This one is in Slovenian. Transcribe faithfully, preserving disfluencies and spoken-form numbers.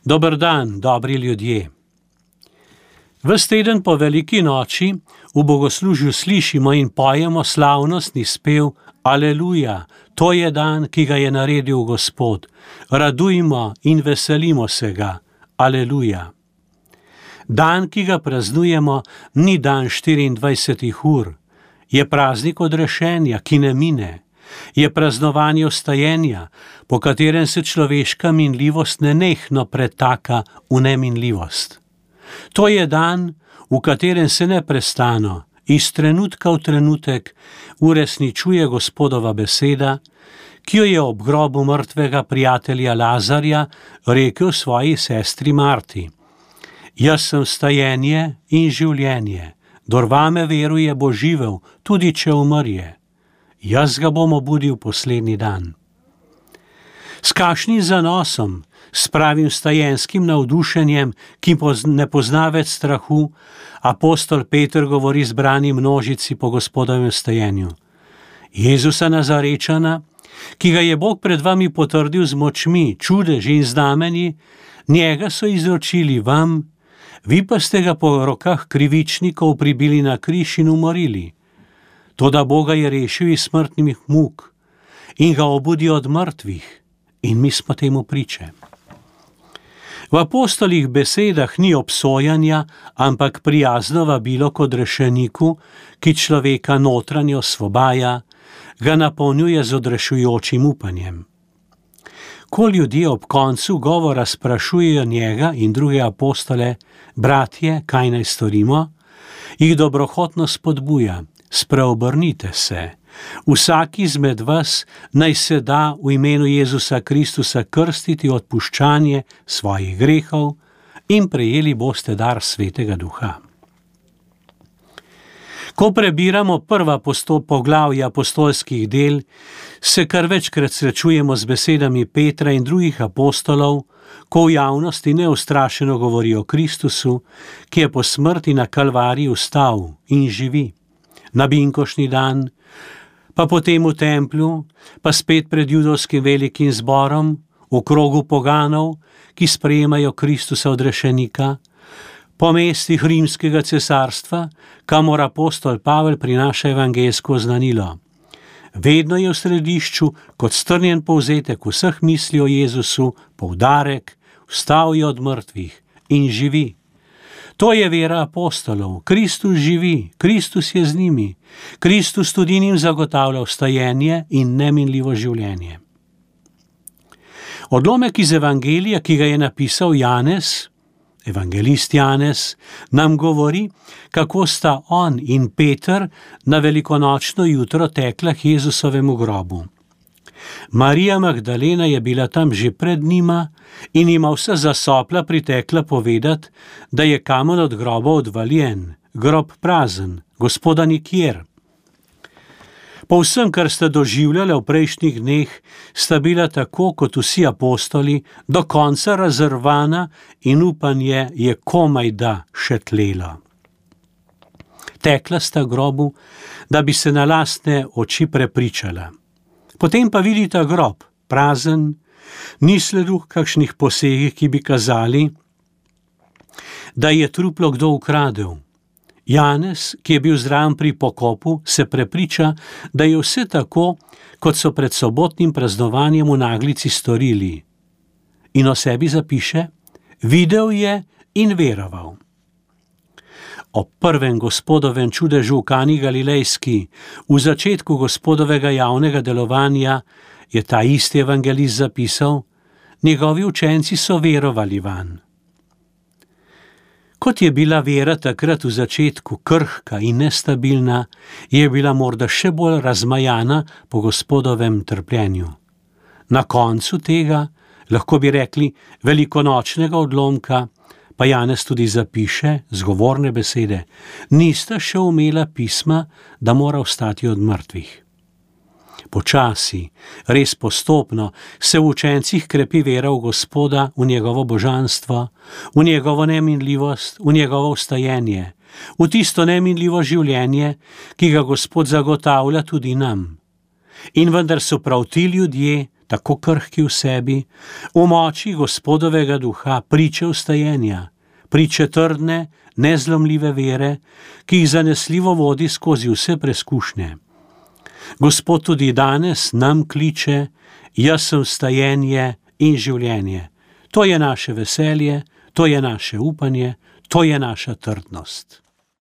Dober dan, dobri ljudje. Ves teden po veliki noči v bogoslužju slišimo in pojemo slavnostni spev Aleluja, to je dan, ki ga je naredil Gospod. Radujmo in veselimo se ga. Aleluja. Dan, ki ga praznujemo, ni dan štiriindvajsetih ur. Je praznik odrešenja, ki ne mine. Je praznovanje vstajenja, po katerem se človeška minljivost nenehno pretaka v neminljivost. To je dan, v katerem se neprestano, iz trenutka v trenutek, uresničuje Gospodova beseda, ki jo je ob grobu mrtvega prijatelja Lazarja rekel svoji sestri Marti. Jaz sem vstajenje in življenje, kdor vame veruje, bo živel, tudi če umrje. Jaz ga bom obudil poslednji dan. S kakšnim zanosom, s pravim vstajenskim navdušenjem, ki ne pozna več strahu, apostol Peter govori zbrani množici po Gospodovem vstajenju. Jezusa Nazarečana, ki ga je Bog pred vami potrdil z močmi, čudeži in znamenji, njega so izročili vam, vi pa ste ga po rokah krivičnikov pribili na križ in umorili. Toda Boga je rešil iz smrtnih muk in ga obudil od mrtvih, in mi smo temu priče. V apostolih besedah ni obsojanja, ampak prijazno vabilo k odrešeniku, ki človeka notranjo osvobaja, ga napolnjuje z odrešujočim upanjem. Ko ljudje ob koncu govora sprašujejo njega in druge apostole, bratje, kaj naj storimo, jih dobrohotno spodbuja, spreobrnite se. Vsak izmed vas naj se da v imenu Jezusa Kristusa krstiti odpuščanje svojih grehov in prejeli boste dar Svetega Duha. Ko prebiramo prva poglavja apostolskih del, se kar večkrat srečujemo z besedami Petra in drugih apostolov, ko v javnosti neustrašeno govori o Kristusu, ki je po smrti na Kalvariji vstal in živi. Na binkošni dan, pa potem v templju, pa spet pred judovskim velikim zborom, v krogu poganov, ki sprejemajo Kristusa odrešenika, po mestih rimskega cesarstva, kamor apostol Pavel prinaša evangeljsko oznanilo. Vedno je v središču, kot strnjen povzetek vseh misli o Jezusu, poudarek, vstal je od mrtvih in živi. To je vera apostolov. Kristus živi, Kristus je z njimi. Kristus tudi njim zagotavlja vstajenje in neminljivo življenje. Odlomek iz evangelija, ki ga je napisal Janez, evangelist Janez, nam govori, kako sta on in Peter na velikonočno jutro tekla k Jezusovemu grobu. Marija Magdalena je bila tam že pred njima in ima vsa zasopla pritekla povedati, da je kamen od groba odvaljen, grob prazen, Gospoda nikjer. Po vsem, kar sta doživljala v prejšnjih dneh, sta bila tako kot vsi apostoli do konca razrvana in upanje je komaj da še tlelo. Tekla sta grobu, da bi se na lastne oči prepričala. Potem pa vidita grob, prazen, ni sledu kakšnih posegih, ki bi kazali, da je truplo kdo ukradel. Janez, ki je bil zraven pri pokopu, se prepriča, da je vse tako, kot so pred sobotnim praznovanjem v naglici storili. In o sebi zapiše, videl je in veroval. O prvem Gospodovem čudežu v Kani Galilejski, v začetku Gospodovega javnega delovanja, je ta isti evangelist zapisal, njegovi učenci so verovali vanj. Kot je bila vera takrat v začetku krhka in nestabilna, je bila morda še bolj razmajana po Gospodovem trpljenju. Na koncu tega, lahko bi rekli velikonočnega odlomka, pa Janez tudi zapiše zgovorne besede, nista še umela pisma, da mora vstati od mrtvih. Počasi, res postopno, se v učencih krepi vera v Gospoda, v njegovo božanstvo, v njegovo neminljivost, v njegovo vstajenje, v tisto neminljivo življenje, ki ga Gospod zagotavlja tudi nam. In vendar so prav ti ljudje, tako krhki v sebi, v moči Gospodovega duha, priče vstajenja, priče trdne, nezlomljive vere, ki jih zanesljivo vodi skozi vse preskušnje. Gospod tudi danes nam kliče: jaz sem vstajenje in življenje. To je naše veselje, to je naše upanje, to je naša trdnost.